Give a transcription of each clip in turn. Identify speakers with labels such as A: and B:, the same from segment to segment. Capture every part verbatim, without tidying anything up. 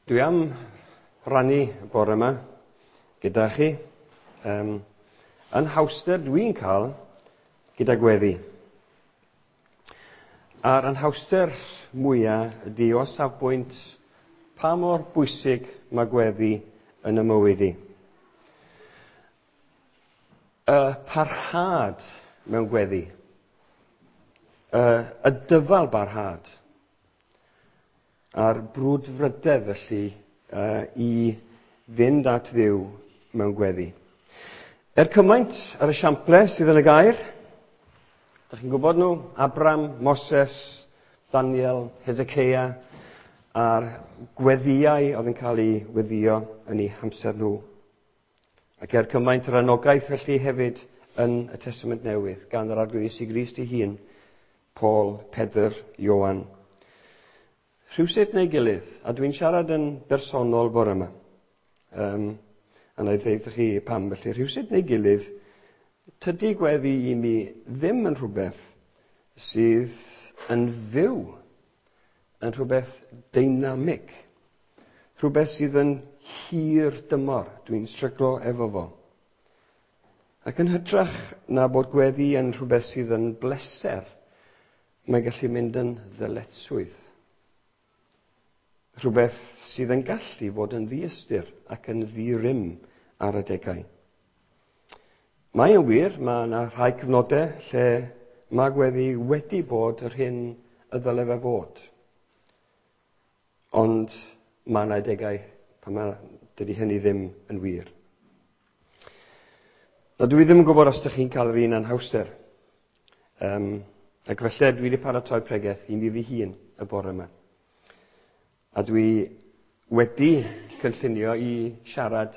A: Dwi am rannu y bore yma gyda chi um, anhawster dwi'n cael gyda gweddi. A'r anhawster mwyaf ydy o safbwynt pa mor bwysig mae gweddi yn y mywyd i. Y parhad mewn gweddi. Y, y dyfal barhad. A'r brwdfrydedd felly uh, i fynd at Dduw mewn gweddi. Er cymaint ar y siample sydd yn y gair, da chi'n gwybod nhw, Abram, Moses, Daniel, Hezekiah, a'r gweddïau oedd yn cael ei weddio yn eu hamser nhw. Ac er cymaint yr anogaeth felly hefyd yn y Testament Newydd gan yr Arglwydd Iesu Grist ei hun, Paul, Pedr, Ioan. Rhywsut neu gilydd, a dwi'n siarad yn bersonol bore yma, um, a na i ddeud chi pam felly, rhywsut neu gilydd, tydi gweddi i mi ddim yn rhywbeth sydd yn fyw, yn rhywbeth deinamig, rhywbeth sydd yn hir dymor, dwi'n stryglo efo fo. Ac yn hytrach na bod gweddi yn rhywbeth sydd yn bleser, mae'n gallu mynd yn ddyletswydd. Rhywbeth sydd yn gallu fod yn ddiystyr ac yn ddi-rym ar adegau. Mae yn wir, mae yna rhai cyfnodau lle mae gweddi wedi bod yr hyn y ddyle fe fod. Ond mae yna adegau pan mae, dydy hynny ddim yn wir. Na, dwi ddim yn gwybod os ydych chi'n cael yr un anhawster. Um, ac felly dwi wedi paratoi pregeth i mi fy hun y bore yma. A dwi wedi cynllunio i siarad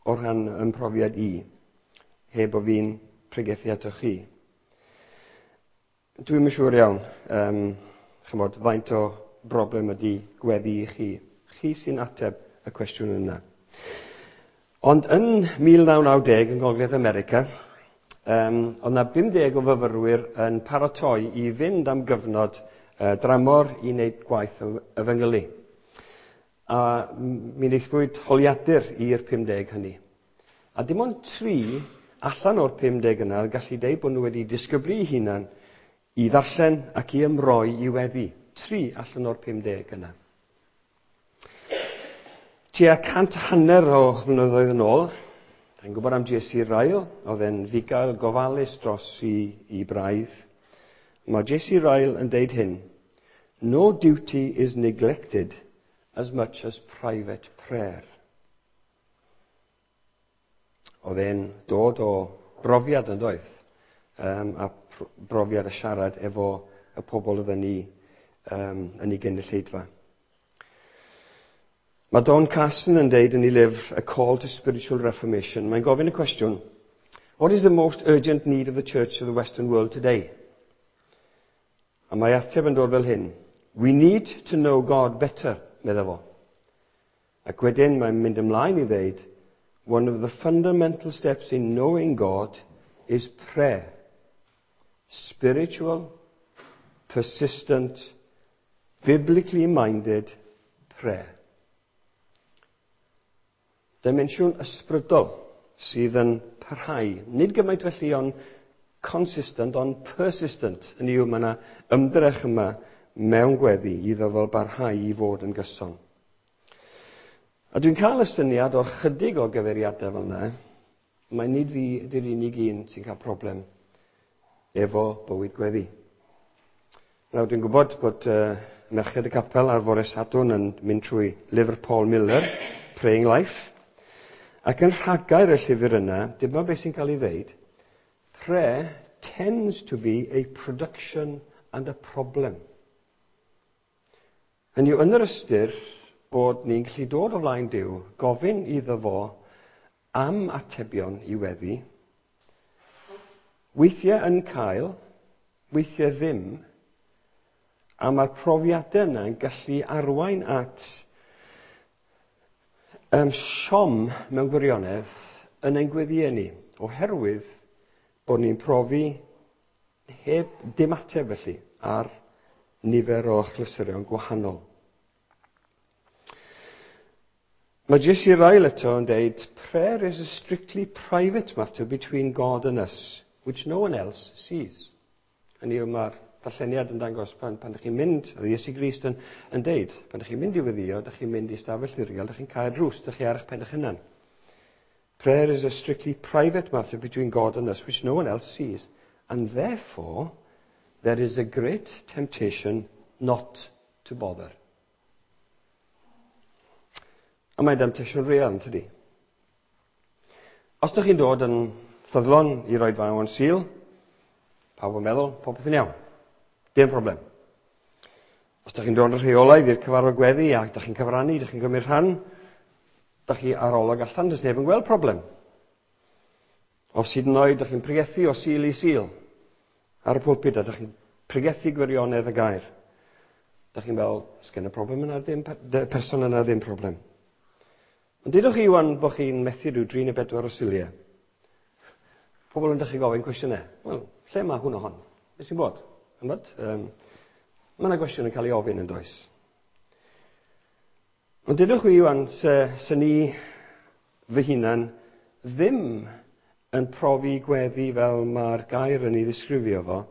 A: o rhan ym mhrofiad i, heb bo fi'n pregethu atoch chi. Dwi'm yn siŵr iawn, um, chymod, faint o broblem ydy gweddi i chi. Chi sy'n ateb y cwestiwn yna. Ond yn mil naw naw deg yn Gogledd America, um, oedd yna bum deg o fyfyrwyr yn paratoi i fynd am gyfnod uh, dramor i wneud gwaith efengylu. A mi wnaethpwyd holiadur i'r pum deg hynny. A dim ond tri allan o'r pum deg yna gallu deud bod nhw wedi disgyblu eu hunan i ddarllen ac i ymroi i weddi. Tri allan o'r pum deg yna. Tua cant hanner o flynyddoedd yn ôl, dwi'n gwybod am J C Ryle, oedd e'n fugail gofalus dros i, i braidd. Mae J C Ryle yn deud hyn: No duty is neglected as much as private prayer. Oedd e'n dod o brofiad yn doedd, um, a brofiad y siarad efo y pobl oedd yn ei, um, yn ei gynulleidfa. Mae Don Carson yn deud yn ei lyfr A Call to Spiritual Reformation, mae'n gofyn y cwestiwn, What is the most urgent need of the church of the Western world today? A mae ateb yn dod fel hyn: We need to know God better, medda fo. Ac wedyn mae'n mynd ymlaen i ddeud, One of the fundamental steps in knowing God is prayer. Spiritual, persistent, biblically minded prayer. Dimensiwn ysbrydol sydd yn parhau. Nid gymaint felly ond consistent, ond persistent. Hynny yw, mae yna ymdrech yma mewn gweddi iddo fel barhau i fod yn gyson. A dwi'n cael y syniad o'r chydig o gyfeiriadau fel yna, mae nid fi ydy'r unig un sy'n cael problem efo bywyd gweddi. Nawr, dwi'n gwybod bod uh, Merched y Capel ar fore Sadwrn yn mynd trwy lyfr Paul Miller, Praying Life, ac yn rhagair y llyfr yna, dyma beth sy'n cael ei ddeud: Prayer tends to be a production and a problem. Hynny yw, yn yr ystyr bod ni'n gallu dod o flaen Duw, gofyn iddo fo am atebion i weddi, weithiau yn cael, weithiau ddim, a mae'r profiadau yna yn gallu arwain at um, siom mewn gwirionedd yn ein gweddïau ni, oherwydd bod ni'n profi heb dim ateb felly ar nifer o achlysurion gwahanol. Mae J C Ryle eto yn deud, prayer is a strictly private matter between God and us, which no one else sees. Hynny yw, mae'r darlleniad yn dangos pan, pan ydych chi'n mynd, oedd Iesu Grist yn, yn deud, pan ydych chi'n mynd i weddïo, ydych chi'n mynd i stafell ddirgel, ydych chi'n cau'r drws, ydych chi ar eich pen eich hunan. Prayer is a strictly private matter between God and us, which no one else sees, and therefore there is a great temptation not to bother. A mae'n demtasiwn real, yn tydi? Os ydych chi'n dod yn ffyddlon i roi faw yn Sul, pawb yn meddwl, popeth yn iawn. Dim problem. Os ydych chi'n dod yn rheolaidd i'r cyfarfod gweddi ac ydych chi'n cyfrannu, ydych chi'n gymryd rhan, ydych chi ar olwg allan, does neb yn gweld problem. Os hyd yn oed ydych chi'n pregethu o Sul i Sul ar y pulpit, ydych chi'n pregethu gwirionedd y gair. Ydych chi'n meddwl, sgen y problem yna ddim, person yna ddim problem. Ond dudwch chi wan bod chi'n methu rhyw dri neu bedwar o Suliau. Pobl yn dechrau gofyn cwestiynau. Wel, lle mae hwn o hon? Beth sy'n bod? Ymwyd? Um, mae yna gwestiwn yn cael ei ofyn yn does. Ond dudwch chi wan, se, se ni fy hunan ddim yn profi gweddi fel mae'r gair yn ei ddisgrifio fo,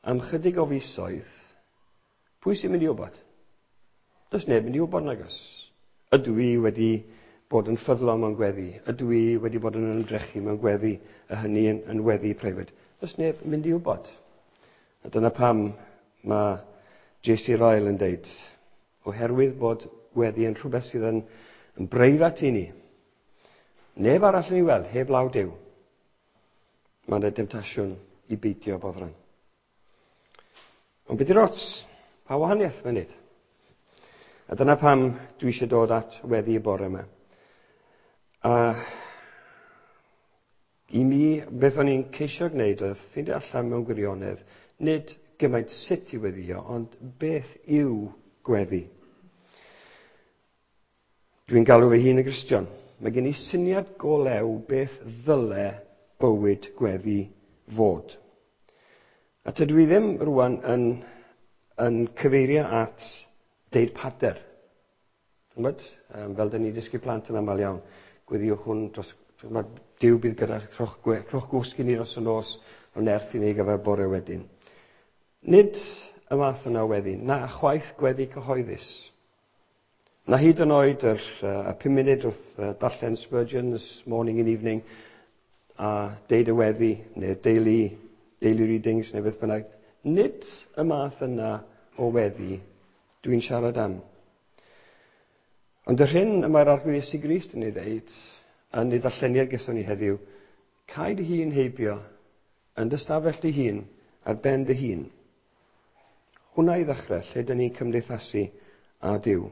A: am chydig o fisoedd, pwy sy'n mynd i wybod? Does neb mynd i wybod nag oes. Ydw i wedi bod yn ffyddlon mewn gweddi? Ydw i wedi bod yn ymdrechu mewn gweddi, a hynny yn, yn weddi preifat? Does neb yn mynd i wybod. A dyna pam mae J C Ryle yn deud, oherwydd bod gweddi yn rhywbeth sydd yn, yn breifat i ni, neb arall yn ei weld, heb law Duw, mae yna demtasiwn i beidio boddran. Ond beth yw'r ots? Pa wahaniaeth mae'n neud? A dyna pam dwi eisiau dod at weddi y bore yma. A i mi, beth o'n i'n ceisio gwneud oedd ffeindio allan mewn gwirionedd, nid gymaint sut i weddïo, ond beth yw gweddi. Dwi'n galw fy hun yn Gristion. Mae gen i syniad go lew beth ddyle bywyd gweddi fod. A tydw i ddim rwan yn, yn cyfeirio at deud pader. Ch'mod? Um, fel dyn ni dysgu plant yn aml iawn. Gweddiwch hwn dros, mae Duw bydd gyda rhowch gwe-, rhowch gwsg i ni dros y nos, o nerth i ni gyfer bore wedyn. Nid y math yna o weddi, na chwaith gweddi cyhoeddus. Na hyd yn oed yr, uh, y pum munud wrth, uh, darllen Spurgeon's Morning and Evening a deud y weddi, neu daily, daily readings, neu beth bynnag. Nid y math yna o weddi dwi'n siarad am. Ond yr hyn y mae'r Arglwydd Iesu Grist yn ei ddeud, yn ei darlleniad gyson ni heddiw, cau dy hun heibio, yn dy stafell dy hun, ar ben dy hun. Hwnna i ddechrau, lle dyn ni'n cymdeithasu â Duw.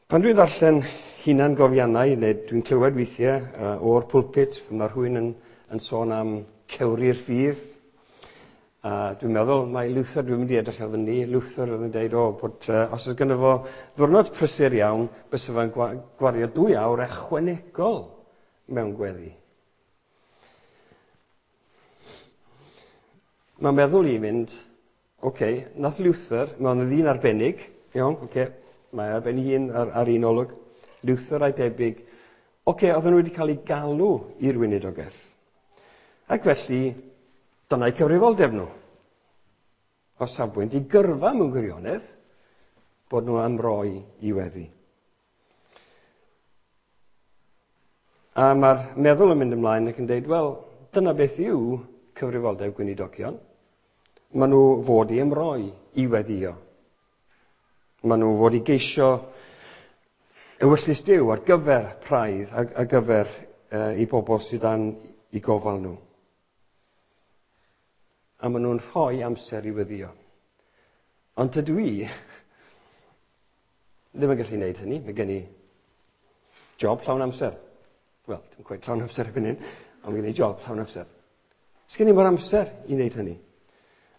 A: Pan dwi'n darllen hunan gofiannau, neu dwi'n clywed weithiau, uh, o'r pulpit, pan mae rhywun yn, yn sôn am cewri'r ffydd, a dwi'n meddwl mai Luther, dwi'n mynd i edrych ar fyny, Luther oedd yn deud, o, bod, uh, os oedd gynno fo ddiwrnod prysur iawn, bysa fo'n gwa-, gwario dwy awr ychwanegol mewn gweddi. Mae'n meddwl i fynd, oce, okay, nath Luther, mae'n ddyn arbennig, iawn, oce, okay, mae ar ben ei hun ar, ar un olwg, Luther a'i debyg, oce, okay, oedden nhw wedi cael eu galw i'r weinidogaeth. Ac felly, dyna'i cyfrifoldeb nhw. O safbwynt i gyrfa mewn gwirionedd, bod nhw am roi i weddi. A mae'r meddwl yn mynd ymlaen ac yn deud, wel, dyna beth yw cyfrifoldeb gweinidogion. Maen nhw fod i ymroi i weddio. Maen nhw fod i geisio ewyllys Duw ar gyfer praidd, ar, ar gyfer, uh, i bobl sydd dan i gofal nhw. A maen nhw'n rhoi amser i weddio. Ond tydw i ddim yn gallu gwneud hynny. Mae gen i job llawn amser. Wel, dim cweit llawn amser erbyn hyn, ond mae gen i job llawn amser. Sgen i mor amser i wneud hynny.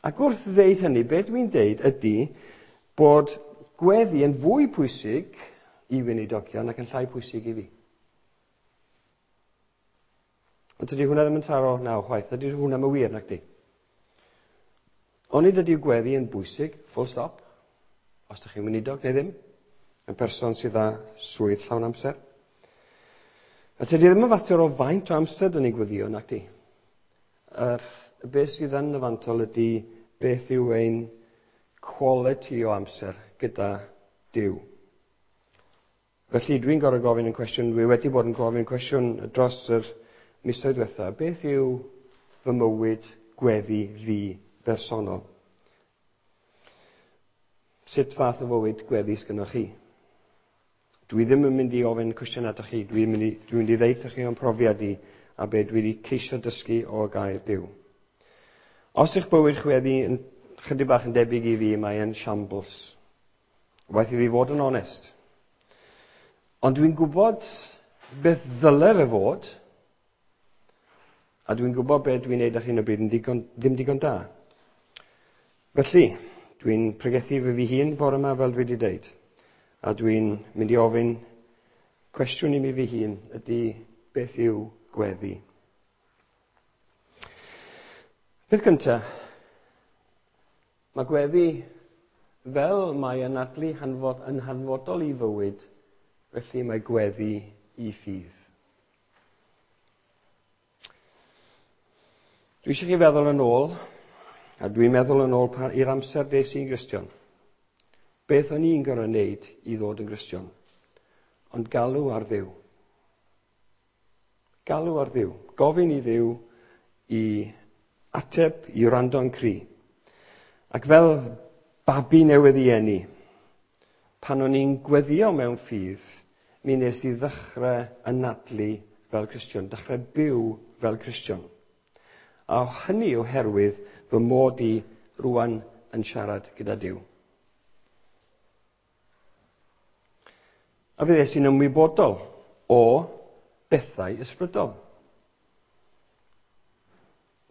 A: Ac wrth ddeud hynny, be dwi'n deud ydy bod gweddi yn fwy pwysig i weinidogion ac yn llai pwysig i fi. Ond tydi hwnna ddim yn taro naw chwaith. Tydi hwnna ddim yn wir, nacdi? Onid ydy gweddi yn bwysig, full stop, os ydych chi'n weinidog neu ddim. Yn person sydd â swydd llawn amser. A tydi ddim yn fater o faint o amser dyn ni'n gweddio, nac di. Yr, beth sydd yn y fantol ydy beth yw ein quality o amser gyda Duw. Felly dwi'n gorfod gofyn yn cwestiwn, dwi wedi bod yn gofyn cwestiwn dros yr misoedd diwetha, beth yw fy mywyd gweddi fi bersonol? Sut fath o fywyd gweddi sgynnoch chi? Dwi ddim yn mynd i ofyn cwestiwn atoch chi, dwi'n mynd i, dwi'n mynd i ddeud chi o'n profiad i a be dwi wedi ceisio dysgu o gair Duw. Os eich bywyd chweddi yn chydig bach yn debyg i fi, mae yn shambles. Waeth i fi fod yn onest. Ond dwi'n gwybod beth ddyle fe fod, a dwi'n gwybod beth dwi'n neud ar hyn o bryd yn digon, ddim digon da. Felly, dwi'n pregethu fy fi hun bore yma fel dwi wedi deud. A dwi'n mynd i ofyn cwestiwn i mi fy hun ydy beth yw gweddi. Peth gyntaf, mae gweddi fel mae anadlu hanfod, yn hanfodol i fywyd, felly mae gweddi i ffydd. Dwi eisiau chi feddwl yn ôl, a dwi'n meddwl yn ôl i'r amser des i'n Gristion. Beth o'n i'n gorfod wneud i ddod yn Gristion? Ond galw ar Dduw. Galw ar Dduw. Gofyn i Dduw i ateb, i wrando'n cri. Ac fel babi newydd i eni, pan o'n i'n gweddio mewn ffydd, mi nes i ddechrau anadlu fel Cristion, dechrau byw fel Cristion. A hynny oherwydd fy mod i rwan yn siarad gyda Duw. A fe ddes i'n ymwybodol o bethau ysbrydol.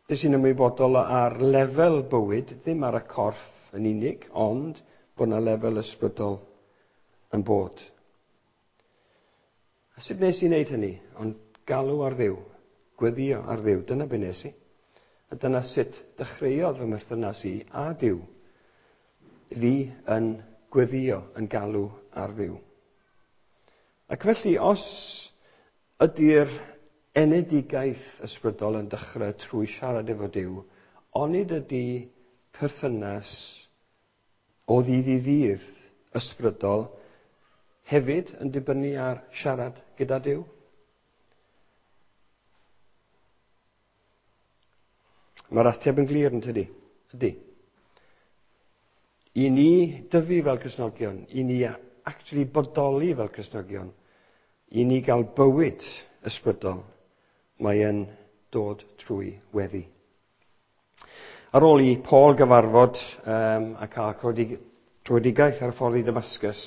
A: Des i'n ymwybodol ar lefel bywyd, ddim ar y corff yn unig, ond bod yna lefel ysbrydol yn bod. A sut nes i wneud hynny? Ond galw ar Dduw, gweddio ar Dduw, dyna be nes i. A dyna sut dechreuodd fy mherthynas i a Duw. Fi yn gweddio, yn galw ar Dduw. Ac felly, os ydy'r enedigaeth ysbrydol yn dechrau trwy siarad efo Duw, onid ydy perthynas o ddydd i ddydd ysbrydol hefyd yn dibynnu ar siarad gyda Duw? Mae'r ateb yn glir yn tydi? Ydy. I ni dyfu fel Cristnogion, i ni actually bodoli fel Cristnogion, i ni gael bywyd ysbrydol, mae yn dod trwy weddi. Ar ôl i Paul gyfarfod um, a cael tröedigaeth ar y ffordd i Damascus,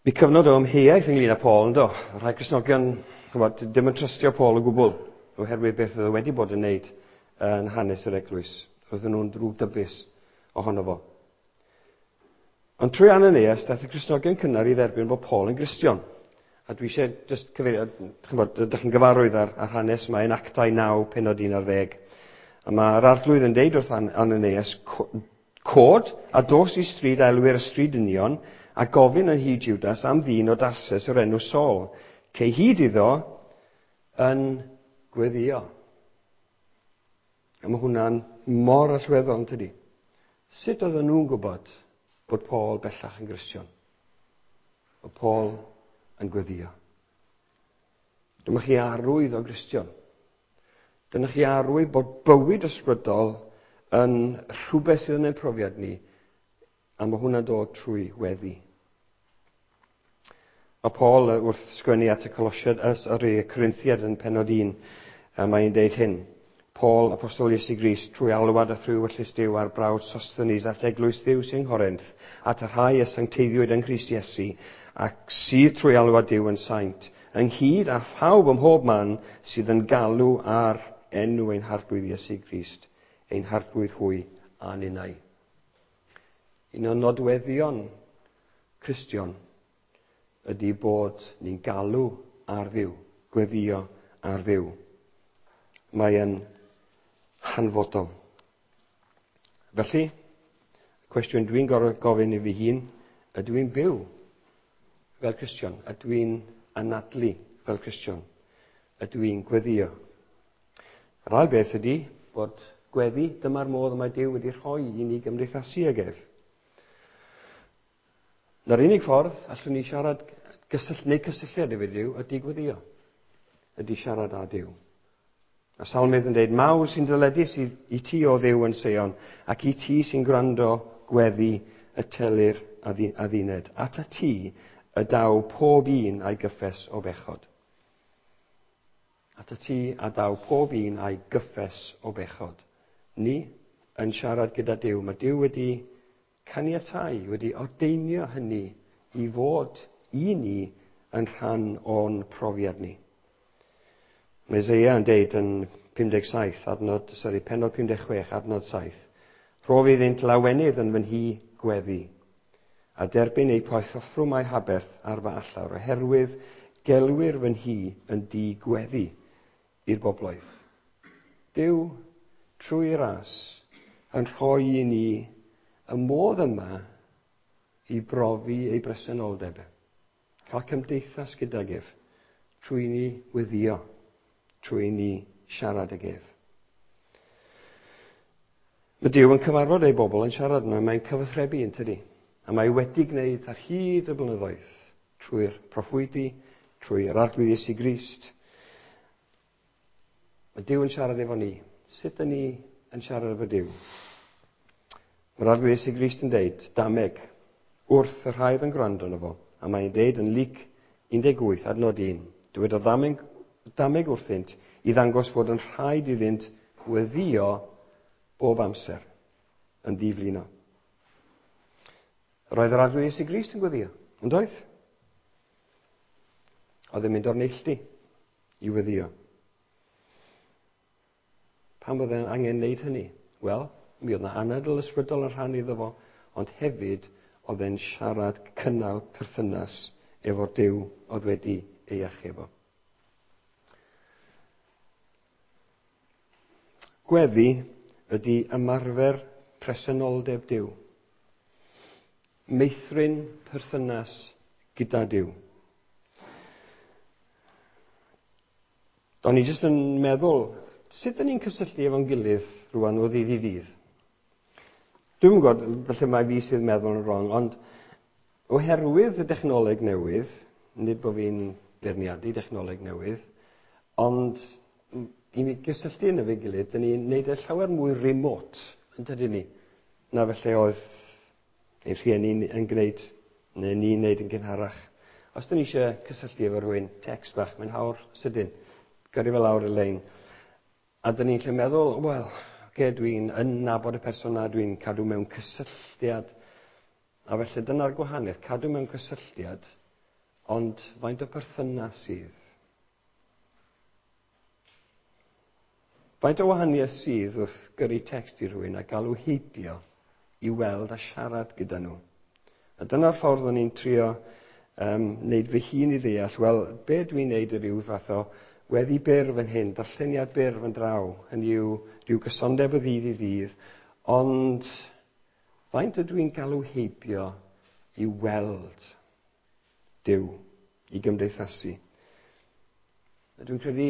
A: bu cyfnod o amheuaeth ynglyn â Paul, yndo? Rhai Cristnogion, ch'mod, ddim yn trystio Paul o gwbl, oherwydd beth oedd e wedi bod yn wneud yn hanes yr eglwys. Roedden nhw'n ddrwgdybus ohono fo. Ond trwy Ananias, daeth y Cristnogion cynnar i dderbyn bod Paul yn Gristion. A dwi eisiau just cyfeirio, ch'mod, ydych chi'n gyfarwydd ar, ar hanes yma yn Actau naw, pennod un ar ddeg. A mae'r arglwydd yn deud wrth Ananias, cod a dos i stryd a elwir y stryd union, a gofyn yn hyd Judas am ddyn o Darsus o'r enw Saul. Cei hyd iddo yn gweddio. A mae hwnna'n mor allweddol, yn tydi? Sut oedden nhw'n gwybod bod Paul bellach yn Gristion? Bod Paul yn gweddio. Dyma chi arwydd o Gristion. Dyna chi arwydd bod bywyd ysbrydol yn rhywbeth sydd yn ein profiad ni, a mae hwnna'n dod trwy weddi. Mae Paul wrth sgwennu at y Colosiad, yr Corinthiad yn pennod un, a mae'n deud hyn. Paul, apostol Iesu Grist, trwy alwad a thrwy ewyllys Duw ar brawd Sosthenes at eglwys Dduw sy'n Nghorinth, at y rhai y sancteiddiwyd yng Nghrist Iesu, ac sydd trwy alwad Duw yn saint, ynghyd â phawb ym mhob man sydd yn galw ar enw ein harglwydd Iesu Grist, ein harglwydd hwy a ninnau. Un o nodweddion Cristion ydy bod ni'n galw ar Dduw, gweddio ar Dduw. Mae yn hanfodol. Felly, y cwestiwn dwi'n gorfod gofyn i fi hun, ydw i'n byw fel Cristion? Ydw i'n anadlu fel Cristion? Ydw i'n gweddio? Yr ail beth ydy bod gweddi, dyma'r modd mae Duw wedi rhoi i ni gymdeithasu ag ef. Na'r unig ffordd allwn ni siarad gysyll, neu cysylltiad efo Duw ydy gweddio, ydy siarad â Duw. A Salmydd yn dweud, mawr sy'n dyledus i, i ti o Dduw yn Seion, ac i ti sy'n gwrando gweddi y telir adduned. At a ti y daw pob un a'i gyffes o bechod. At y ti a daw pob un a'i gyffes o bechod. Ni yn siarad gyda Duw. Mae Duw wedi caniatáu, wedi ordeinio hynny i fod i ni yn rhan o'n profiad ni. Mae Eseia yn deud yn pum deg saith, adnod, sorry, pennod pum deg chwech, adnod saith. Rhof iddynt lawenydd yn fy nhŷ gweddi, a derbyn eu poethoffrwm a'u haberth ar fy allawr, oherwydd gelwir fy nhŷ yn dŷ gweddi i'r bobloedd. Duw, trwy ras, yn rhoi i ni y modd yma i brofi ei bresenoldeb. Cael cymdeithas gydag ef, trwy ni weddio, trwy ni siarad ag ef. Mae Duw yn cyfarfod ei bobl yn siarad yma, mae'n cyfathrebu yn tydi. A mae wedi gwneud ar hyd y blynyddoedd, trwy'r proffwydi, trwy'r Arglwydd Iesu Grist. Mae Duw yn siarad efo ni. Sut ydyn ni yn siarad efo Duw? Mae'r Arglwydd Iesu Grist yn deud, dameg, wrth y rhai oedd yn gwrando arno fo, a mae'n deud yn Luc un deg wyth, adnod un, dywedodd dameg, dameg wrthynt i ddangos fod yn rhaid iddynt weddïo bob amser, yn ddiflino. Roedd yr Arglwydd Iesu Grist yn gweddio, yn doedd? Oedd e'n mynd o'r neilltu i weddio. Pam oedd e'n angen wneud hynny? Wel, mi oedd yna anadl ysbrydol yn rhan iddo fo, ond hefyd oedd e'n siarad cynnal perthynas efo'r Duw oedd wedi ei achub o. Gweddi ydy ymarfer presenoldeb Duw. Meithrin perthynas gyda Duw. O'n i jyst yn meddwl, sut ydyn ni'n cysylltu efo'n gilydd rwan o ddydd i ddydd? Dwi'm yn gwybod, falle mai fi sydd meddwl yn wrong, ond oherwydd y dechnoleg newydd, nid bod fi'n beirniadu dechnoleg newydd, ond i mi gysylltu yn efo'i gilydd, dyn ni'n neud e llawer mwy remote, yn dydyn ni, na felly oedd ein rhieni yn gwneud, neu ni'n gwneud yn gynharach. Os dyn ni eisiau cysylltu efo rhywun, text bach, mae'n hawr sydyn, gyrru fe lawr y lein. A dyn ni'n lle meddwl, wel, oce, dwi'n yn nabod y person na, dwi'n cadw mewn cysylltiad. A felly dyna'r gwahaniaeth, cadw mewn cysylltiad, ond faint o perthynas sydd? Faint o wahaniaeth sydd wrth gyrru text i rhywun a galw heibio i weld a siarad gyda nhw? A dyna'r ffordd o'n i'n trio um, wneud fy hun i ddeall, wel, be dwi'n wneud yw rhyw fath o weddi byr fan hyn, darlleniad byr fan draw, hynny yw rhyw gysondeb o ddydd i ddydd, ond faint ydw i'n galw heibio i weld Duw, i gymdeithasu? A dwi'n credu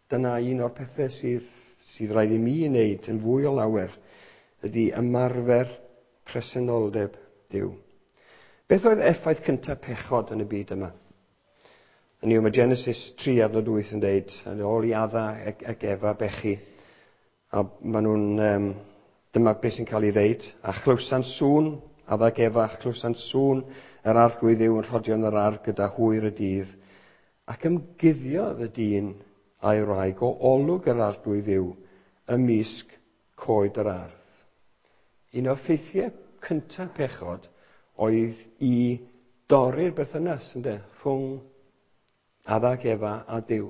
A: dyna un o'r pethau sydd, sydd rhaid i mi wneud yn fwy o lawer, ydy ymarfer presenoldeb Duw. Beth oedd effaith cyntaf pechod yn y byd yma? Hynny yw, mae Genesis tri adnod wyth yn deud, yn ôl i Adda ac, ac Efa bechu, a maen nhw'n, um, dyma beth sy'n cael ei ddeud, a chlywsant sŵn, Adda ac Efa, chlywsant sŵn yr Arglwydd Dduw yn rhodio yn yr ardd gyda hwyr y dydd, ac ymguddiodd y dyn a'i wraig o olwg yr Arglwydd Dduw ymysg coed yr ardd. Un o ffeithiau cyntaf pechod oedd i dorri'r berthynas, ynde, rhwng Adda ac Efa a Duw.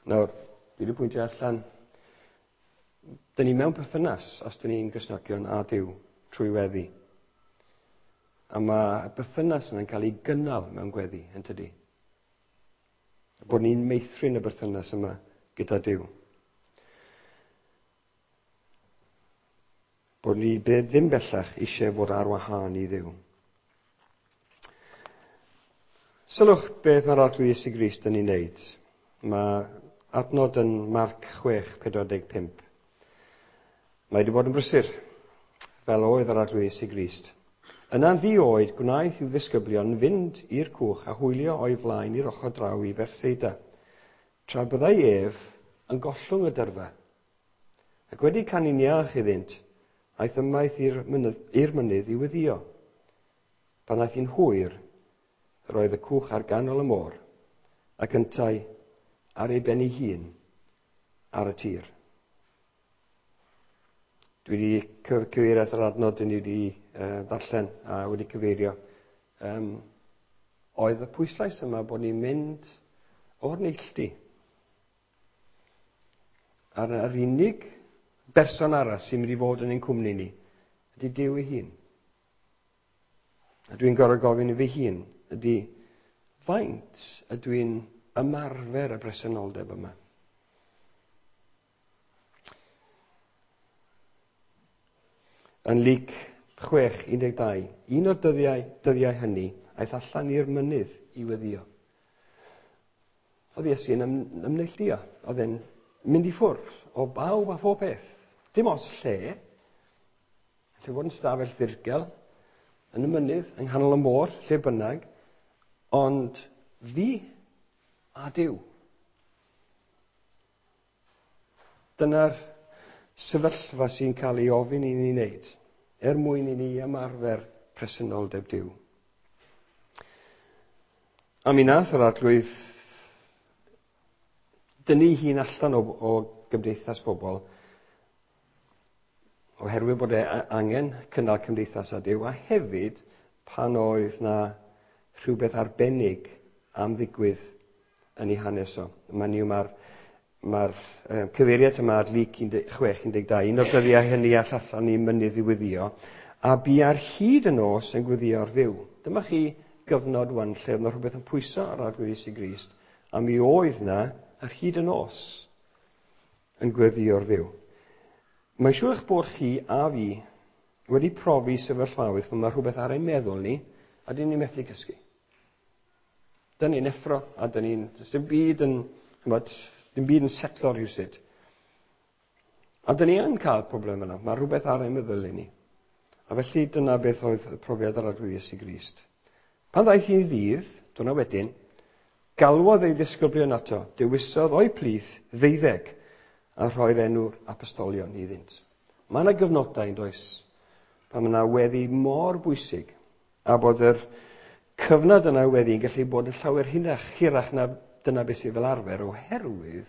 A: Nawr, dwi wedi pwyntio allan, dyn ni mewn perthynas os dyn ni'n Gristnogion a Duw trwy weddi. A mae berthynas yna'n cael ei gynnal mewn gweddi, yn tydi? Bod ni'n meithrin y berthynas yma gyda Duw. Bod ni ddim bellach eisiau fod ar wahân i Dduw. Sylwch beth mae'r Arglwydd Iesu Grist yn ei wneud. Mae adnod yn Marc chwech pedwar deg pump. Mae wedi bod yn brysur, fel oedd yr Arglwydd Iesu Grist. Yna'n ddi-oed gwnaeth i'w ddisgyblion fynd i'r cwch a hwylio o'i flaen i'r ochr draw i Bethsaida, tra byddai ef yn gollwng y dyrfa. Ac wedi canu'n iach iddynt, aeth ymaith i'r mynydd, i'r mynydd i weddïo. Pan aeth hi'n hwyr, yr oedd y cwch ar ganol y môr, ac yntau ar ei ben ei hun ar y tir. Dwi wedi cyfeirio at yr adnod dyn ni wedi uh, ddarllen a wedi cyfeirio. Um, oedd y pwyslais yma bod ni'n mynd o'r neilltu. A'r, yr unig berson arall sy'n mynd i fod yn ein cwmni ni ydy Duw ei hun. A dwi'n gorfod gofyn i fy hun ydy faint ydw i'n ymarfer y bresenoldeb yma. Yn Luc chwech un deg dau, un o'r dyddiau, dyddiau hynny aeth allan i'r mynydd i weddïo. Oedd Iesu yn ym, ymneilltuo, oedd e'n mynd i ffwrdd o bawb a phob peth. Dim ots lle, lle fod yn stafell ddirgel, yn y mynydd, yng nghanol y môr, lle bynnag, ond fi a Duw. Dyna'r sefyllfa sy'n cael ei ofyn i ni wneud, er mwyn i ni ymarfer presenoldeb Duw. A mi nath yr Arglwydd dynnu hun allan o, o gymdeithas bobl, oherwydd bod e angen cynnal cymdeithas â Duw, a hefyd pan oedd na rhywbeth arbennig am ddigwydd yn ei hanes o. Mae'n yw mae'r Mae'r uh, cyfeiriad yma ar Luc chwech un deg dau, un o'r dyddiau hynny all allan i mynydd i weddïo, a bu ar hyd y nos yn gweddïo ar Dduw. Dyma chi gyfnod wan lle oedd yna rhywbeth yn pwyso ar Arglwydd Iesu Grist, a mi oedd na ar hyd y nos yn gweddïo ar Dduw. Mae'n siŵr eich bod chi a fi wedi profi sefyllfaoedd pan mae rhywbeth ar ein meddwl ni, a dyn ni'n methu cysgu. Dyn ni'n effro, a dyn ni'n... Does dim byd yn... Chymod, dim byd yn setlo rhywsut. A dyn ni yn cael problem yna. Mae rhywbeth ar ein meddwl i ni. A felly dyna beth oedd y profiad ar Arglwydd Iesu Grist. Pan ddaeth hi'n ddydd, dyna wedyn, galwodd ei ddisgyblion ato, dewisodd o'i plith ddeuddeg a rhoi'r enw'r apostolion iddynt. Mae yna gyfnodau, yn does, pan mae yna weddi mor bwysig, a bod yr cyfnod yna weddi yn gallu bod yn llawer hirach, hirach na dyna beth sydd fel arfer, oherwydd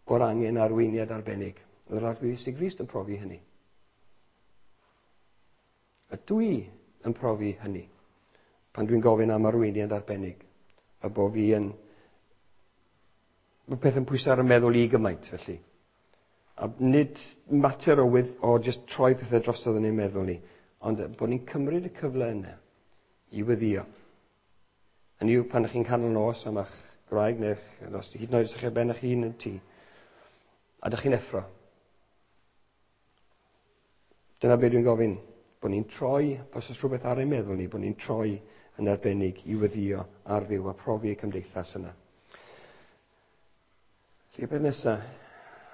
A: bod angen arweiniad arbennig. Oedd yr Arglwydd Iesu Grist yn profi hynny. A dwi yn profi hynny pan dwi'n gofyn am arweiniad arbennig, a bod fi yn... Mae peth yn pwyso ar y meddwl i gymaint, felly. A nid mater o, with, o just troi pethau drosodd yn ein meddwl ni, ond bod ni'n cymryd y cyfle yna i weddïo. Hynny yw, pan ych chi'n canol nos am eich gwraig neu os hyd yn oed os ych chi ar ben eich hun yn tŷ, a dych chi'n effro. Dyna beth dwi'n gofyn, bod ni'n troi, os oes rhywbeth ar ein meddwl ni, bod ni'n troi yn arbennig i weddïo ar Dduw a profi y cymdeithas yna. Felly, y peth nesaf,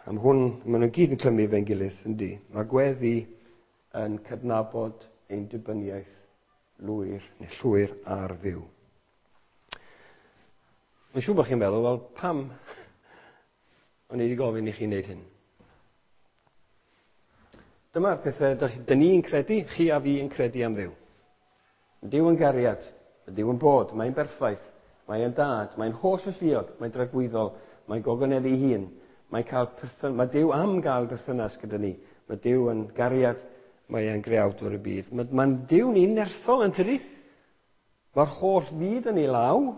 A: am hwn, maen nhw gyd yn clymu fe'n gilydd, yndi. Mae gweddi yn cydnabod ein dibyniaeth lwyr neu llwyr ar Dduw. Mae'n siŵr bod chi'n meddwl, wel, pam o'n i wedi gofyn i chi wneud hyn? Dyma'r pethau dyn ni'n credu, chi a fi yn credu am Dduw. Duw yn gariad, Duw yn bod, mae'n berffaith, mae'n dad, mae'n holl alluog, mae'n dragwyddol, mae'n gogoneddu ei hun, mae'n cael perthyn, mae Duw am gael perthynas gyda ni. Mae Duw yn gariad, mae e'n greawdwr y byd. Mae'n mae Duw ni'n nerthol yn tydi. Mae'r holl fyd yn ei law.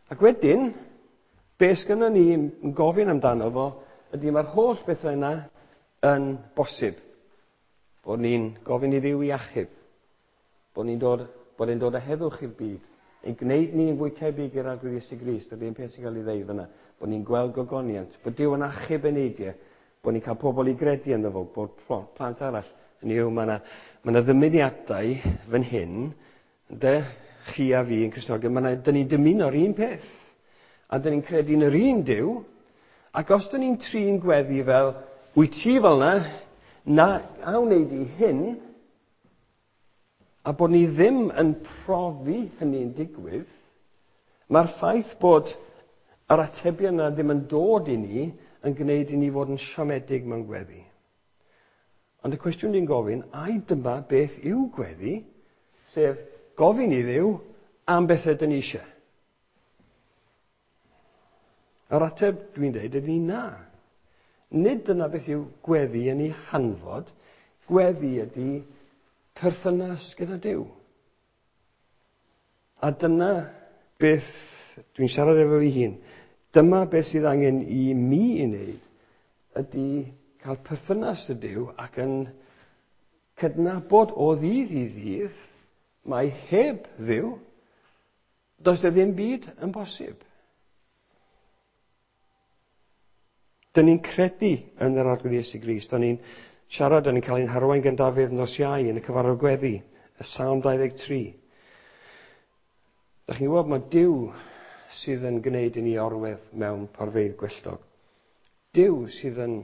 A: Ac wedyn, be sgynnon ni yn gofyn amdano fo, ydy mae'r holl bethau yna yn bosib. Bod ni'n gofyn i Dduw i achub. Bod ni'n dod, bod e'n dod â heddwch i'r byd. Ein gwneud ni'n fwy tebyg i'r Arglwydd Iesu Grist, yr un peth sy'n cael ei ddeud fyna. Bod ni'n gweld gogoniant, bod Duw yn achub eneidiau, bod ni'n cael pobl i gredu ynddo fo, bod plant arall. Hynny yw, mae yna, mae yna ddymuniadau fan hyn, ynde? chi a fi yn Cristnogion, mae 'na, dyn ni'n dymuno'r un peth. A dyn ni'n credu yn yr un Duw. Ac os dyn ni'n trin gweddi fel, wyt ti fel na, na, a wneud i hyn, a bod ni ddim yn profi hynny'n digwydd, mae'r ffaith bod yr atebion yna ddim yn dod i ni yn gwneud i ni fod yn siomedig mewn gweddi. Ond y cwestiwn ni'n gofyn, ai dyma beth yw gweddi, sef gofyn i Dduw am bethau dyn ni eisiau? Yr ateb dwi'n dweud ydy na. Nid dyna beth yw gweddi yn ei hanfod. Gweddi ydy perthynas gyda Duw. A dyna beth dwi'n siarad efo fi hun. Dyma beth sydd angen i mi i wneud ydy cael perthynas â Duw ac yn cydnabod o ddydd i ddydd mae heb Dduw, does 'na ddim byd yn bosib. Dyn ni'n credu yn yr Arglwydd Iesu Grist. Dyn ni'n siarad, dyn ni'n cael ein harwain gan Dafydd nos Iau yn y cyfarfod gweddi, y Salm dau ddeg tri. Dych chi'n gwybod, mae Duw sydd yn gwneud i ni orwedd mewn porfeydd gwelltog. Duw sydd yn,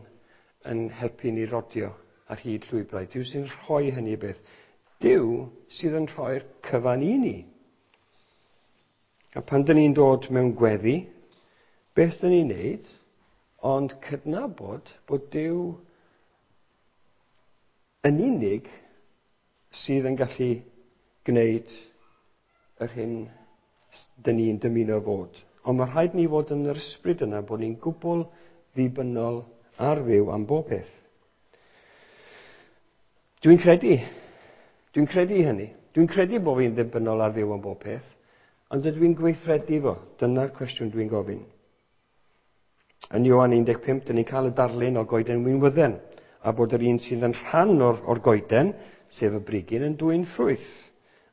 A: yn helpu ni rodio ar hyd llwybrau. Duw sy'n rhoi hynny beth. Duw sydd yn rhoi'r cyfan i ni. A pan dyn ni'n dod mewn gweddi, beth dyn ni'n neud? Ond cydnabod bod Duw yn unig sydd yn gallu gwneud yr hyn dyn ni'n dymuno fod. Ond mae rhaid ni fod yn yr ysbryd yna bod ni'n gwbl ddibynnol ar Dduw am bob peth. Dwi'n credu. Dwi'n credu hynny. Dwi'n credu bod fi'n ddibynnol ar Dduw am bob peth. Ond ydw i'n gweithredu fo? Dyna'r cwestiwn dwi'n gofyn. Yn Ioan un deg pump, dyn ni'n cael y darlun o goeden winwydden, a bod yr un sydd yn rhan o'r, o'r goeden, sef y brigyn, yn dwyn ffrwyth.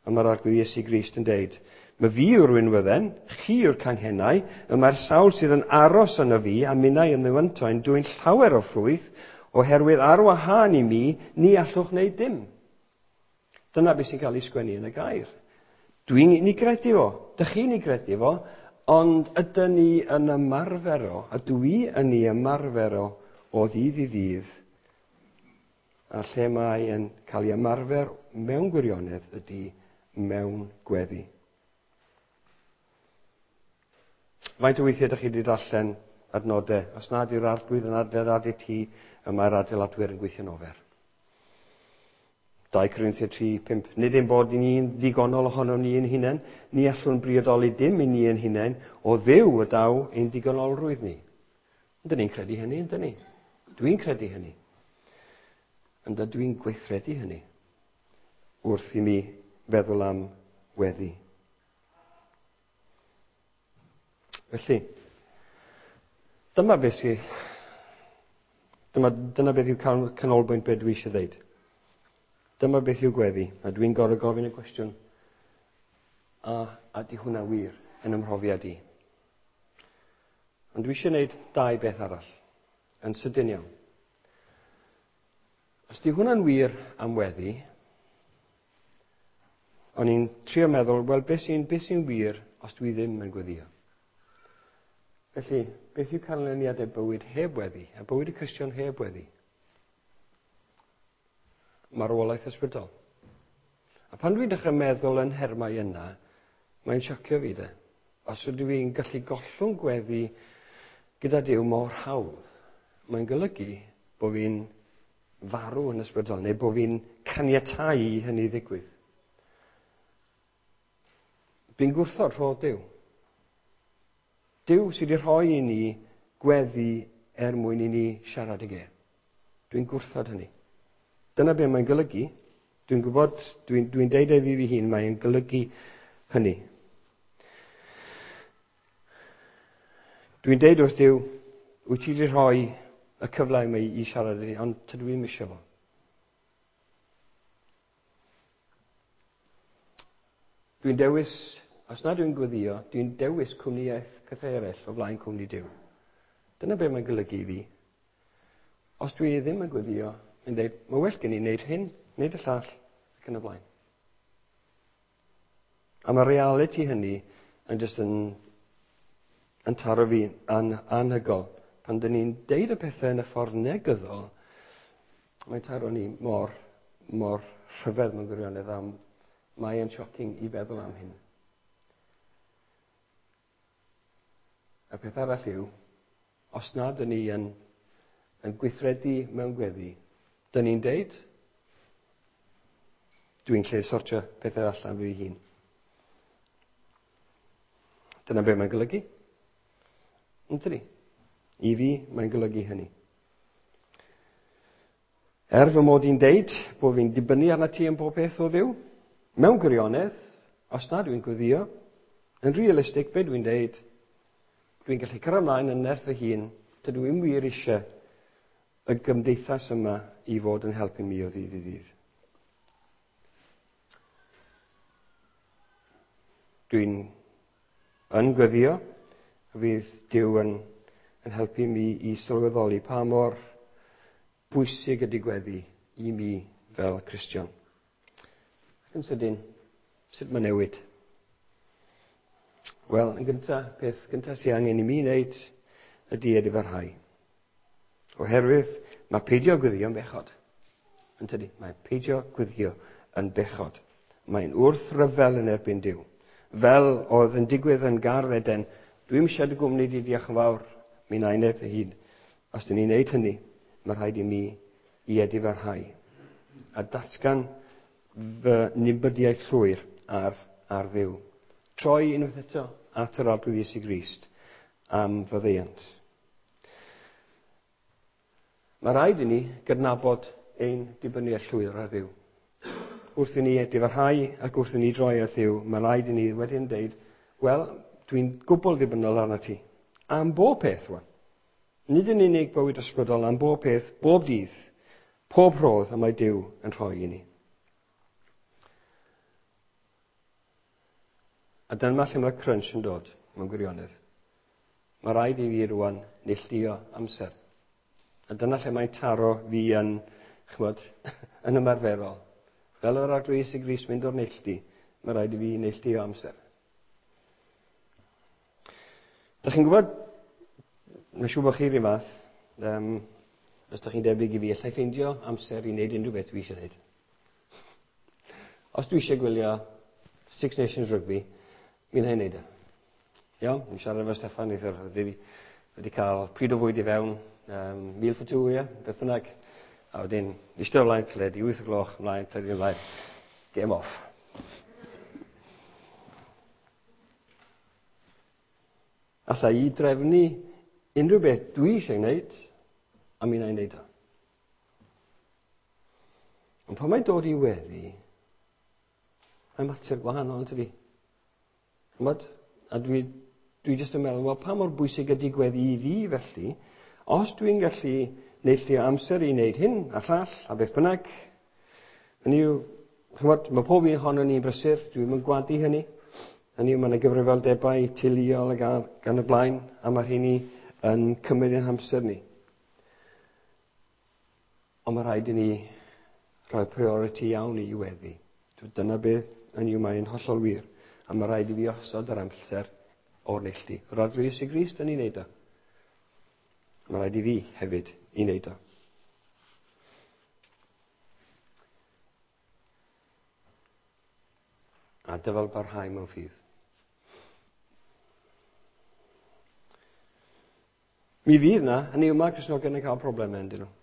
A: A mae'r Arglwydd Iesu Grist yn deud, mae fi yw'r winwydden, chi yw'r canghennau, y mae'r sawl sydd yn aros yno fi a minnau yn ddywynto yn dwyn llawer o ffrwyth, oherwydd ar wahân i mi, ni allwch wneud dim. Dyna beth sy'n cael ei sgwennu yn y gair. Dwi'n ni gredu fo, dych chi'n ei gredu fo, ond ydyn ni yn ymarfer o, a dwi yn ei ymarfer o o ddydd i ddydd, a lle mae yn cael ei ymarfer mewn gwirionedd ydy mewn gweddi. Faint o weithiau ydych chi wedi darllen adnodau? Os nad yw'r Arglwydd yn adeiladu tŷ, y mae'r adeiladwyr yn gweithio'n ofer. dau Corinthiaid tri pump. Nid ein bod ni'n ddigonol ohono ni ein hunain, ni allwn briodoli dim i ni ein hunain, o Dduw y daw ein digonolrwydd ni. Ydyn ni'n credu hynny, yndyn ni? Dwi'n credu hynny. Ond ydw i'n gweithredu hynny wrth i mi feddwl am weddi. Felly, dyma beth sy, dyma, dyna beth yw canolbwynt beth dwi eisiau dweud. Dyma beth yw gweddi, a dwi'n gorfod gofyn y cwestiwn, a, a di hwnna wir yn ymhrofiad i? Ond dwi eisiau gwneud dau beth arall, yn sydyn iawn. Os di hwnna'n wir am weddi, o'n i'n trio meddwl, wel, beth sy'n, beth sy'n wir os dwi ddim yn gweddio? Felly, beth yw canlyniadau bywyd heb weddi, a bywyd y Cristion heb weddi? Marwolaeth ysbrydol. A pan dwi'n dechrau meddwl yn nhermau yna, mae'n siocio fi de. Os ydw i'n gallu gollwng gweddi gyda Duw mor hawdd, mae'n golygu bod fi'n farw yn ysbrydol, neu bod fi'n caniatáu i hynny ddigwydd. Fi'n gwrthod rhodd Duw. Duw sydd wedi rhoi i ni gweddi er mwyn i ni siarad ag e. Dwi'n gwrthod hynny. Dyna be mae'n golygu. Dwi'n gwybod, dwi'n, dwi'n deud e fi fi hun, mae'n golygu hynny. Dwi'n deud wrth Duw, wyt ti wedi rhoi y cyfle i mi i siarad i, ond tydw i'n eisiau fo. Dwi'n dewis, os na dwi'n gweddio, dwi'n dewis cwmnïaeth pethau eraill o flaen cwmni Duw. Dyna be mae'n golygu i fi. Os dwi ddim yn gweddio, mae'n dweud, mae well gen i wneud hyn, wneud y llall, ac yn y blaen. A mae reality hynny yn just yn, yn taro fi yn anhygoel. Pan dyn ni'n deud y pethau yn y ffordd negyddol, mae'n taro ni mor, mor rhyfedd mewn gwirionedd, am mae e'n shocking i feddwl am hyn. Y peth arall yw, os nad ydyn ni yn, yn gweithredu mewn gweddi, dyn ni'n deud, dwi'n lle sortio pethau allan fi hun. Dyna be mae'n golygu. Yntydi? I fi, mae'n golygu hynny. Er fy mod i'n deud bod fi'n dibynnu arna ti am bob peth o Dduw, mewn gwirionedd, os na dwi'n gweddio, yn realistig, be dwi'n deud, dwi'n gallu cyrraedd ymlaen yn nerth fy hun, dydw i'm wir eisiau y gymdeithas yma i fod yn helpu mi o ddydd i ddydd. Dwi'n yn gweddio, fydd Duw yn, yn helpu mi i sylweddoli pa mor bwysig ydy gweddi i mi fel Cristion. Ac yn sydyn, sut mae newid? Wel, yn gyntaf, peth gyntaf sy'n angen i mi wneud ydy edifarhau. Oherwydd mae peidio gweddio yn bechod. Yn tydi? Mae peidio gweddio yn bechod. Mae'n wrthryfel yn erbyn Duw. Fel oedd yn digwydd yn Gardd Eden, dwi'm eisiau dy gwmni di, diolch yn fawr, mi wna i wneud fy hun. Os dyn ni'n wneud hynny, mae rhaid i mi i edifarhau. A datgan fy nibydiaeth llwyr ar, ar Dduw. Troi unwaith eto at yr Arglwydd Iesu Grist am faddeuant. Mae rhaid i ni gydnabod ein dibyniaeth llwyr ar Dduw. Wrth i ni edifarhau ac wrth i ni droi at Dduw, mae rhaid i ni wedyn deud, wel, dwi'n gwbl ddibynnol arna ti. Am bob peth, wan. Nid yn unig bywyd ysbrydol, am bob peth, bob dydd, pob rhodd y mae Duw yn rhoi i ni. A dyma lle mae'r crunch yn dod, mewn gwirionedd. Mae rhaid i fi rwan neilltuo amser. A dyna lle mae'n taro fi yn, ch'mod, yn ymarferol. Fel yr Arglwydd Iesu Grist mynd o'r neilltu, mae rhaid i fi neilltuo amser. Dach chi'n gwybod, mae'n siŵr bod chi'r un fath, um, os dach chi'n debyg i fi, allai ffeindio amser i wneud unrhyw beth dwi eisiau wneud. Os dwi eisiau gwylio Six Nations Rugby, mi wna i wneud e. Iawn, ni'n siarad efo Steffan neithiwr, wedi, wedi cael pryd o fwyd i fewn, um, meal for two, ie, beth bynnag. A wedyn, eistedd o flaen teledu, wyth o gloch, ymlaen, teledu ymlaen, game off. Alla i drefnu unrhyw beth dwi eisiau gwneud, a mi wna i wneud o. Ond pan mae'n dod i weddi, mae'n mater gwahanol, yn tydi? Ch'mod? A dwi, dwi jyst yn meddwl, wel, pa mor bwysig ydy gweddi i fi felly, os dwi'n gallu neilltuo amser i wneud hyn a llall a beth bynnag, hynny yw, ch'mod, mae pob un ohonon ni'n brysur, dwi'm yn gwadu hynny. Hynny yw, mae yna gyfrifoldebau teuluol ac ar, gan y blaen, a mae rheini yn cymryd ein hamser ni. Ond mae rhaid i ni rhoi priority iawn i weddi. Dyna beth, hynny yw, mae'n hollol wir. A mae rhaid i fi osod yr amser o'r neilltu. Yr Arglwydd Iesu Grist yn ei wneud o. Mae rhaid i fi hefyd i wneud o. A dyfal barhau mewn ffydd. Mi fydd na, hynny yw, mae Cristnogion yn cael problemau, yndyn nhw.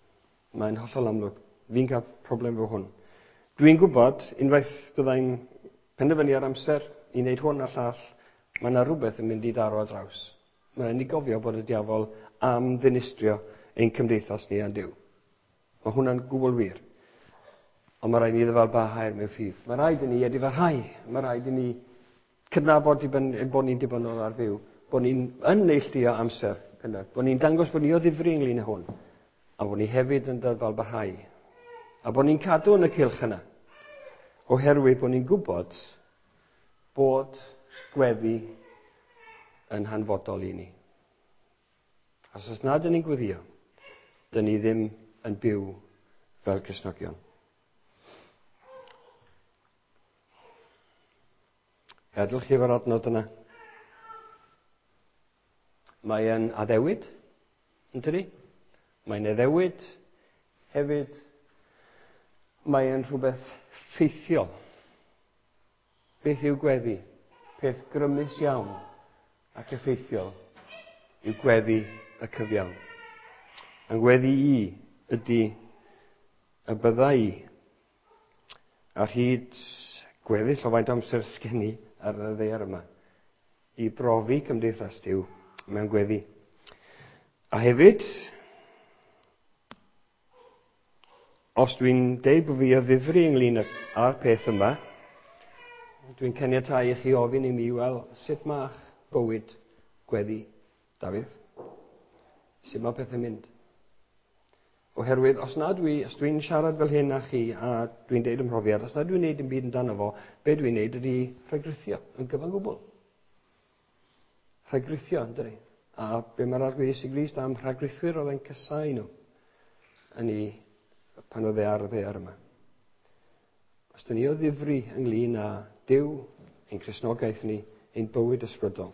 A: Mae'n hollol amlwg. Fi'n cael problem efo hwn. Dwi'n gwybod, unwaith byddai'n penderfynu ar amser i wneud hwn a llall, mae yna rhywbeth yn mynd i daro ar draws. Mae'n ni gofio bod y diafol am ddinistrio ein cymdeithas ni a'n Duw. Mae hwnna'n gwbl wir. Ond mae rhaid i ni ddyfal barhau mewn ffydd. Mae rhaid i ni edifarhau. Mae rhaid i ni cydnabod bod ni'n dibynnol ar Dduw, bod ni'n yn neilltuo amser, bod ni'n dangos bod ni o ddifri ynglyn â hwn, a bod ni hefyd yn dyfal barhau. A bod ni'n cadw yn y cylch yna, oherwydd bod ni'n gwybod bod gweddi yn hanfodol i ni. Os oes nad ydyn ni'n gweddio, dyn ni ddim yn byw fel Cristnogion. Gadwch chi efo'r adnod yna. Mae yn addewid, yn dydi? Mae'n addewid hefyd. Mae yn rhywbeth ffeithiol. Beth yw gweddi? Peth grymus iawn ac effeithiol yw gweddi y cyfiawn. A'n gweddi i ydy y bydda i ar hyd gweddill o faint amser sgen i ar y ddaear yma i brofi cymdeithas Duw mewn gweddi. A hefyd, os dwi'n deud bod fi o ddifri ynglyn â'r peth yma, dwi'n caniatáu i chi ofyn i mi, wel, sut ma'ch bywyd gweddi, Dafydd? Sut mae pethau'n mynd? Oherwydd, os na dwi, os dwi'n siarad fel hyn â chi, a dwi'n deud ymhrofiad, os na dwi'n neud dim byd amdano fo, be dwi'n neud ydy rhagrithio yn gyfan gwbl. Rhagrithio, yn dydi? A be mae'r Arglwydd Iesu Grist am rhagrithwyr oedd e'n casáu nhw yn ei, pan oedd e ar y ddaear yma. Os dyn ni o ddifri ynglyn â Duw, ein Cristnogaeth ni, ein bywyd ysbrydol,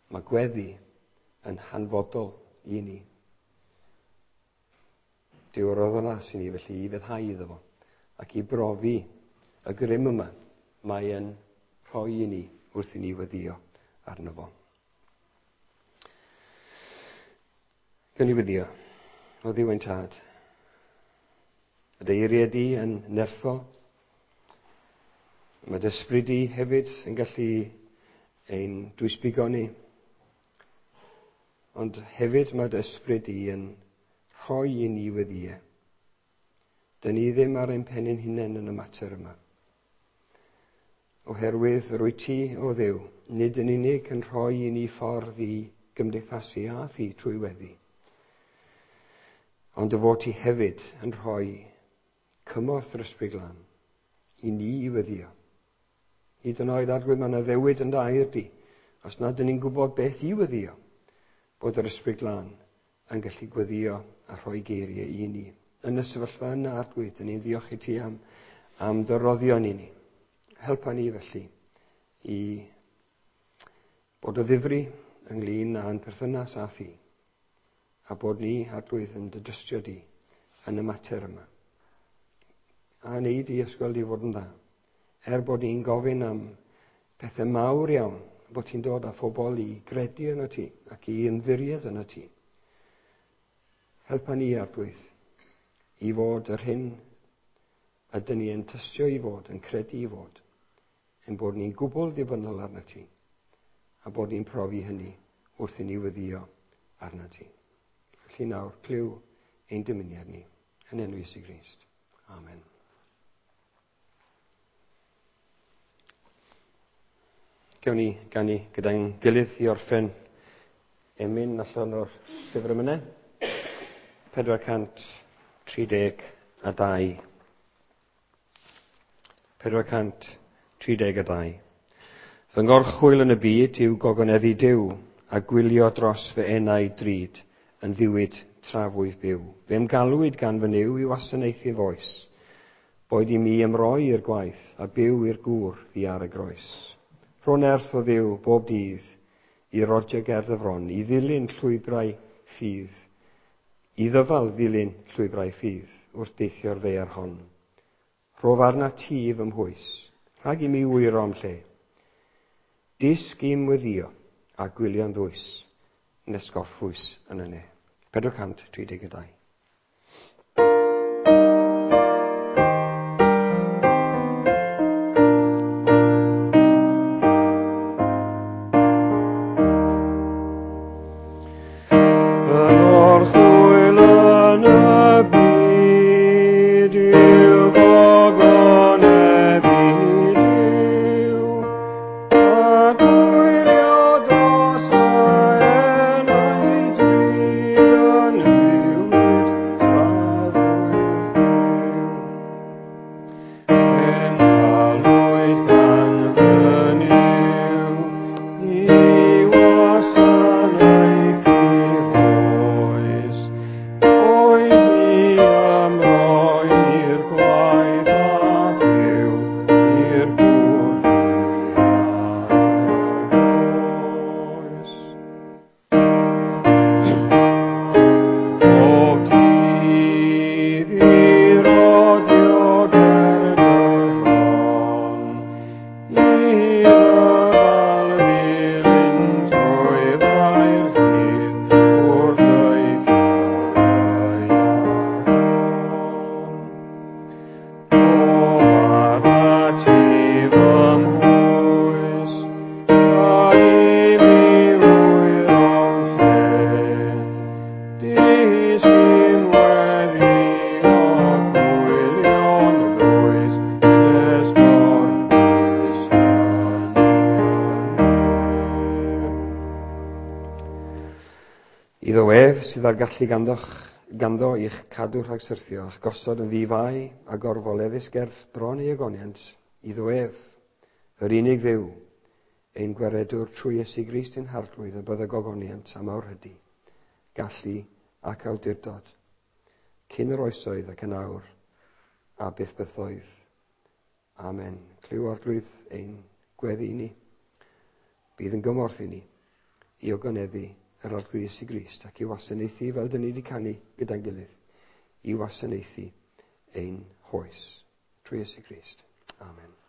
A: mae gweddi yn hanfodol i ni. Duw roddodd ras i ni felly i feddhau iddo fo ac i brofi y grym yma mae yn rhoi i ni wrth i ni weddio arno fo. Gawn ni weddio. O Dduw ein Tad, y dy eiriau di yn nerthol. Mae dy ysbryd di hefyd yn gallu ein dwysbigo ni. Ond hefyd mae dy ysbryd di yn rhoi i ni weddiau. Dyn ni ddim ar ein pen ein hunain yn y mater yma. Oherwydd rwyt ti, o Dduw, nid yn unig yn rhoi i ni ffordd i gymdeithasu â thi trwy weddi, ond dy fod ti hefyd yn rhoi cymorth yr Ysbryd Glân i ni i weddio. Hyd yn oed, Arglwydd, mae 'na addewid yn dy air di, os nad ydyn ni'n gwybod beth i weddio, bod yr Ysbryd Glân yn gallu gweddio a rhoi geiriau i ni. Yn y sefyllfa yna, Arglwydd, dyn ni'n ddiolch i ti am, am dy roddion i ni. Helpa ni felly i bod o ddifri ynglyn â'n perthynas â thi, a bod ni, Arglwydd, yn dy dystio di yn y mater yma. A wneud i ysgol di fod yn dda. Er bod ni'n gofyn am pethau mawr iawn, bod ti'n dod â phobl i gredu yno ti ac i ymddiried yno ti. Helpa ni, Arglwydd, i fod yr hyn ydyn ni yn tystio i fod, yn credu i fod, ein bod ni'n gwbl ddibynnol arno ti, a bod ni'n profi hynny wrth i ni weddio arno ti. Felly nawr, clyw ein dymuniad ni, yn enw Iesu Grist. Amen. Gewn ni ganu gyda'n gilydd i orffen emyn allan o'r llyfr emynau. pedwar cant tri deg a dau. pedwar cant tri deg a dau. Fy ngorchwyl yn y byd yw gogoneddu Duw a gwylio dros fy enau drud yn ddiwyd tra fwyf byw. Fe'm galwyd gan fy Nuw i wasanaethu foes. Boed i mi ymroi i'r gwaith a byw i'r gŵr ddi ar y groes. Rho nerth o Dduw bob dydd i rodio ger dy fron, i ddilyn llwybrau ffydd, i ddyfal ddilyn llwybrau ffydd wrth deithio'r ddaear hon. Rhof arna ti fy mhwys, rhag i mi wyro am lle. Disg i'm weddio a gwylio'n ddwys, nes gorffwys yn y ne. pedwar cant tri deg dau.
B: Dros
A: ef sydd â'r gallu ganddoch, ganddo i'ch cadw rhag syrthio, a'ch gosod yn ddi-fai a gorfoleddus ger bron ei ogoniant, iddo ef, yr unig Dduw, ein gwaredwr trwy Iesu Grist ein Harglwydd, y bydda gogoniant a mawrhydi, gallu ac awdurdod, cyn yr oesoedd ac yn awr, a byth bythoedd. Amen. Clyw, Arglwydd, ein gweddi i ni. Bydd yn gymorth i ni i ogoneddu yr Arglwydd Iesu Grist ac i wasanaethu fel dyn ni wedi canu gyda'n gilydd, i wasanaethu ein hoes trwy Iesu Grist. Amen.